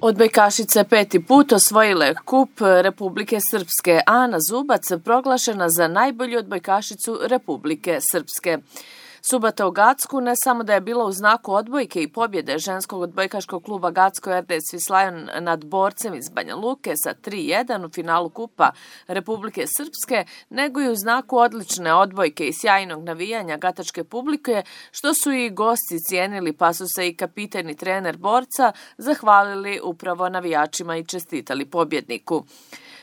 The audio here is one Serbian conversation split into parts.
Odbojkašice peti put osvojile kup Republike Srpske. Ana Zubac proglašena za najbolju odbojkašicu Republike Srpske. Subota u Gacku ne samo da je bila u znaku odbojke i pobjede ženskog odbojkaškog kluba Gacko RDS Svislajan nad borcem iz Banja Luke sa 3:1 u finalu kupa Republike Srpske, nego i u znaku odlične odbojke i sjajnog navijanja gatačke publike, što su i gosti cijenili, pa su se i kapitan i trener borca zahvalili upravo navijačima i čestitali pobjedniku.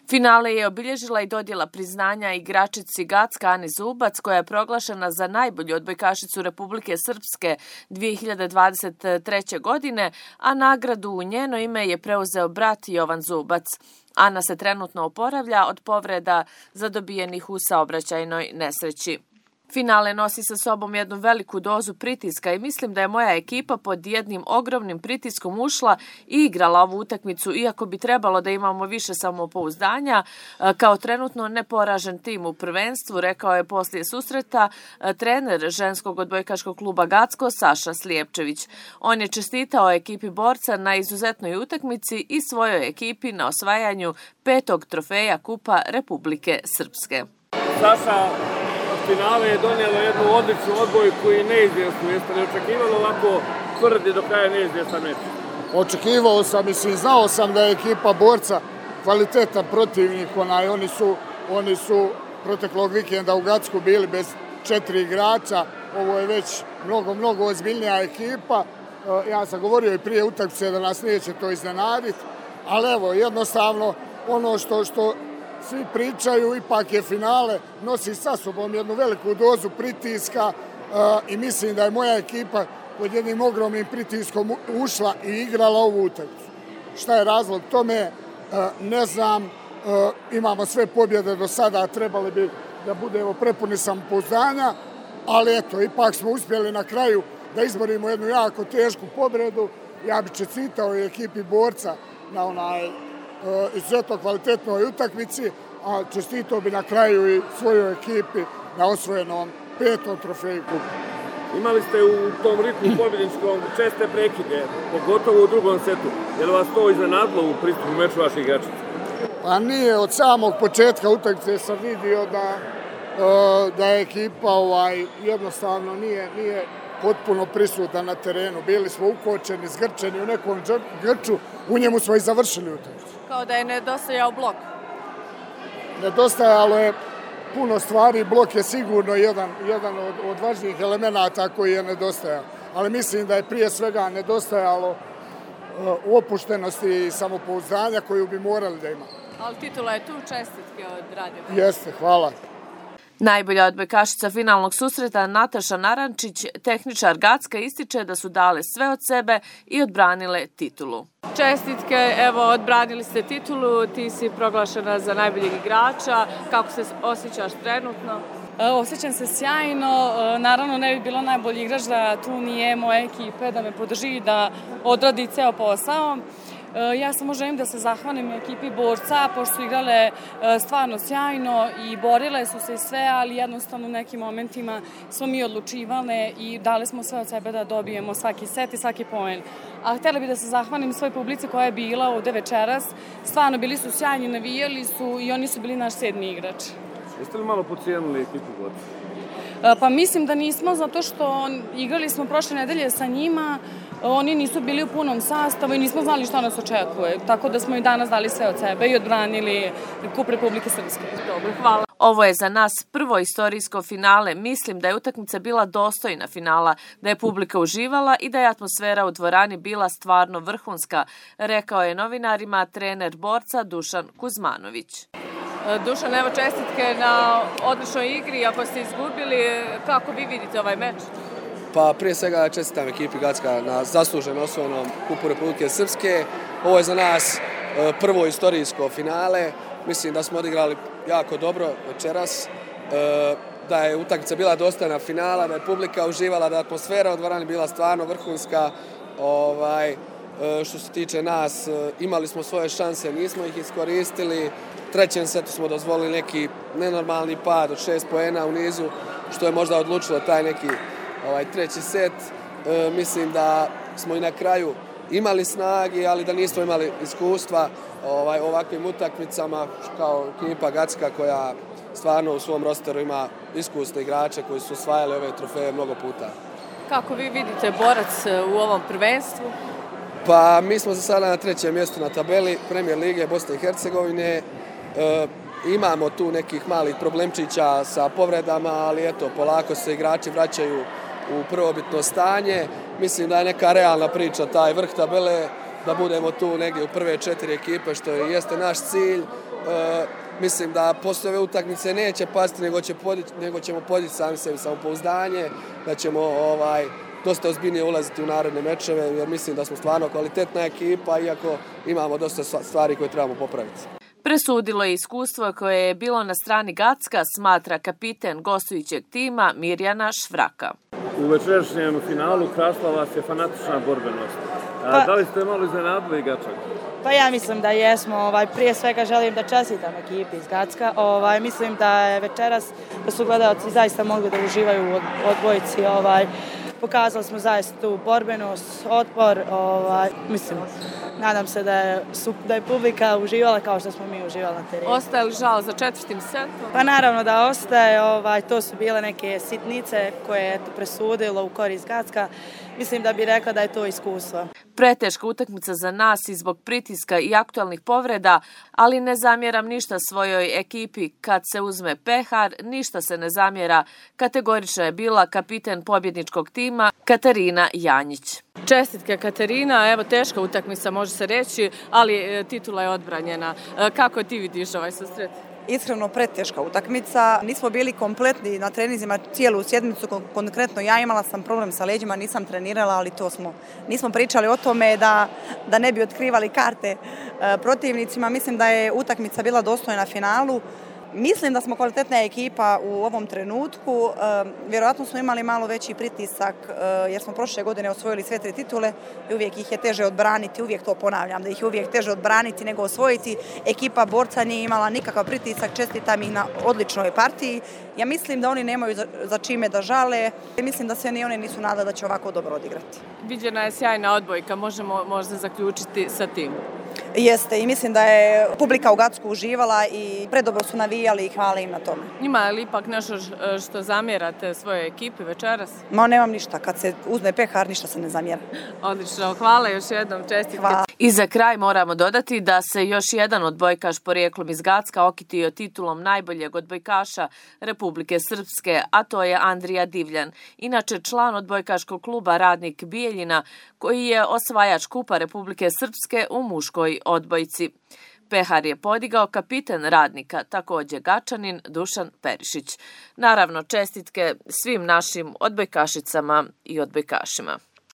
Finale je obilježila i dodjela priznanja igračici Gacka Ani Zubac, koja je proglašena za najbolju odbojkašicu Republike Srpske 2023. godine, a nagradu u njeno ime je preuzeo brat Jovan Zubac. Ana se trenutno oporavlja od povreda zadobijenih u saobraćajnoj nesreći. Finale nosi sa sobom jednu veliku dozu pritiska i mislim da je moja ekipa pod jednim ogromnim pritiskom ušla i igrala ovu utakmicu, iako bi trebalo da imamo više samopouzdanja kao trenutno neporažen tim u prvenstvu, rekao je poslije susreta trener ženskog odbojkaškog kluba Gacko Saša Slijepčević. On je čestitao ekipi borca na izuzetnoj utakmici i svojoj ekipi na osvajanju 5. trofeja kupa Republike Srpske. Saša, finale je donijelo jednu odličnu odbojku i neizvjesnu. Jeste li očekivali ovako tvrdi do kraja neizvjestan meč? Očekivao sam, znao sam da je ekipa borca kvalitetan protivnik. Oni su proteklog vikenda u Gacku bili bez 4 igrača. Ovo je već mnogo ozbiljnija ekipa. Ja sam govorio i prije utakmice da nas neće to iznenaditi, ali evo, jednostavno ono što svi pričaju, ipak je finale, nosi sa sobom jednu veliku dozu pritiska i mislim da je moja ekipa pod jednim ogromnim pritiskom ušla i igrala ovu utakmicu. Šta je razlog tome? Ne znam, imamo sve pobjede do sada, trebali bi da budemo prepuni samopouzdanja, ali eto, ipak smo uspjeli na kraju da izborimo jednu jako tešku pobjedu. Ja bih čestitao i ekipi borca na izuzetno kvalitetnoj utakmici, a čestitao bi na kraju i svojoj ekipi na osvojenom 5. trofeju kupa. Imali ste u tom ritmu pobjedničkom česte prekide, pogotovo u drugom setu. Je li vas to iznenadilo u pristupu meču vaših igračica? Pa nije, od samog početka utakmice sam vidio da je ekipa jednostavno nije potpuno prisutna na terenu. Bili smo ukočeni, zgrčeni u nekom grču, u njemu smo i završili utakmicu. Kao da je nedostajao blok? Nedostajalo je puno stvari, blok je sigurno jedan od važnijih elemenata koji je nedostajao. Ali mislim da je prije svega nedostajalo opuštenosti i samopouzdanja koju bi morali da imamo. Ali titula je tu, čestitke od Radio. Jeste, hvala. Najbolja odbojkašica finalnog susreta Nataša Narančić, tehničar Gacka, ističe da su dale sve od sebe i odbranile titulu. Čestitke, evo, odbranili ste titulu, ti si proglašena za najboljeg igrača. Kako se osjećaš trenutno? Osjećam se sjajno, naravno ne bi bilo najbolji igrač da tu nije moje ekipe, da me podrži, da odradi ceo posao. Ja samo želim da se zahvalim ekipi borca, pošto su igrale stvarno sjajno i borile su se sve, ali jednostavno u nekim momentima smo mi odlučivale i dali smo sve od sebe da dobijemo svaki set i svaki poen. A htjela bih da se zahvalim svoj publici koja je bila ovde večeras. Stvarno bili su sjajni, navijali su i oni su bili naš 7. igrač. Jeste li malo podcijenili ekipu borca? Pa mislim da nismo, zato što igrali smo prošle nedelje sa njima, oni nisu bili u punom sastavu i nismo znali šta nas očekuje, tako da smo i danas dali sve od sebe i odbranili kup Republike Srpske. Dobro, hvala. Ovo je za nas prvo istorijsko finale. Mislim da je utakmica bila dostojna finala, da je publika uživala i da je atmosfera u dvorani bila stvarno vrhunska, rekao je novinarima trener borca Dušan Kuzmanović. Dušan, evo čestitke na odličnoj igri, ako ste izgubili, kako vi vidite ovaj meč? Pa prije svega čestitam ekipi Gacka na zasluženo osvojenom kupu Republike Srpske. Ovo je za nas prvo istorijsko finale. Mislim da smo odigrali jako dobro večeras, da je utakmica bila dostojna finala, da je publika uživala, da je atmosfera u dvorani bila stvarno vrhunska. Što se tiče nas, imali smo svoje šanse, nismo ih iskoristili. U trećem setu smo dozvolili neki nenormalni pad od 6 poena u nizu, što je možda odlučilo taj neki treći set. Mislim da smo i na kraju imali snage, ali da nismo imali iskustva ovakvim utakmicama kao ekipa Gacka koja stvarno u svom rosteru ima iskusne igrače koji su osvajali ove trofeje mnogo puta. Kako vi vidite Borac u ovom prvenstvu? Pa mi smo za sada na 3. mjestu na tabeli Premijer lige Bosne i Hercegovine. Imamo tu nekih malih problemčića sa povredama, ali eto, polako se igrači vraćaju u prvobitno stanje. Mislim da je neka realna priča taj vrh tabele, da budemo tu negdje u prve 4 ekipe, što jeste naš cilj. Mislim da posle ove utakmice neće pasti, nego ćemo podići sami sebi samopouzdanje, da ćemo dosta ozbiljnije ulaziti u naredne mečeve, jer mislim da smo stvarno kvalitetna ekipa, iako imamo dosta stvari koje trebamo popraviti. Presudilo je iskustvo koje je bilo na strani Gacka, smatra kapiten gostujućeg tima Mirjana Švraka. U večerašnjem finalu krasla vas je fanatična borbenost. Da li ste malo iznenadili Gačak? Pa ja mislim da jesmo. Prije svega želim da čestitam ekipi iz Gacka. Mislim da je večeras, da su gledalci zaista mogli da uživaju u odbojici. Pokazali smo zaista tu borbenost, otpor. Nadam se da je publika uživala kao što smo mi uživali na terenu. Ostaje li žal za 4. setom? Pa naravno da ostaje. To su bile neke sitnice koje je presudilo u korist Gacka. Mislim da bi rekla da je to iskustvo. Preteška utakmica za nas i zbog pritiska i aktualnih povreda, ali ne zamjeram ništa svojoj ekipi kad se uzme pehar, ništa se ne zamjera. Kategorična je bila kapiten pobjedničkog tima Katarina Janjić. Čestitke Katarina, evo teška utakmica može se reći, ali titula je odbranjena. Kako ti vidiš ovaj susret? Iskreno preteška utakmica. Nismo bili kompletni na treninzima cijelu sjednicu, konkretno ja imala sam problem sa leđima, nisam trenirala, ali nismo pričali o tome da ne bi otkrivali karte protivnicima. Mislim da je utakmica bila dostojna finalu. Mislim da smo kvalitetna ekipa u ovom trenutku. Vjerojatno smo imali malo veći pritisak jer smo prošle godine osvojili sve 3 titule i uvijek ih je teže odbraniti, uvijek to ponavljam, da ih je uvijek teže odbraniti nego osvojiti. Ekipa Borca nije imala nikakav pritisak, čestitam ih na odličnoj partiji. Ja mislim da oni nemaju za čime da žale. Mislim da se ni oni nisu nadali da će ovako dobro odigrati. Viđena je sjajna odbojka, možemo možda zaključiti sa tim. Jeste i mislim da je publika u Gacku uživala i predobro su navijali i hvala im na tome. Ima li ipak nešto što zamjerate svojoj ekipi večeras? Nemam ništa. Kad se uzme pehar, ništa se ne zamjera. Odlično. Hvala još jednom, čestitke. Hvala. I za kraj moramo dodati da se još jedan odbojkaš porijeklom iz Gacka okitio titulom najboljeg odbojkaša Republike Srpske, a to je Andrija Divljan. Inače član odbojkaškog kluba Radnik Bijeljina, koji je osvajač kupa Republike Srpske u muškoj odbojci. Pehar je podigao kapiten Radnika, također Gačanin Dušan Perišić. Naravno, čestitke svim našim odbojkašicama i odbojkašima.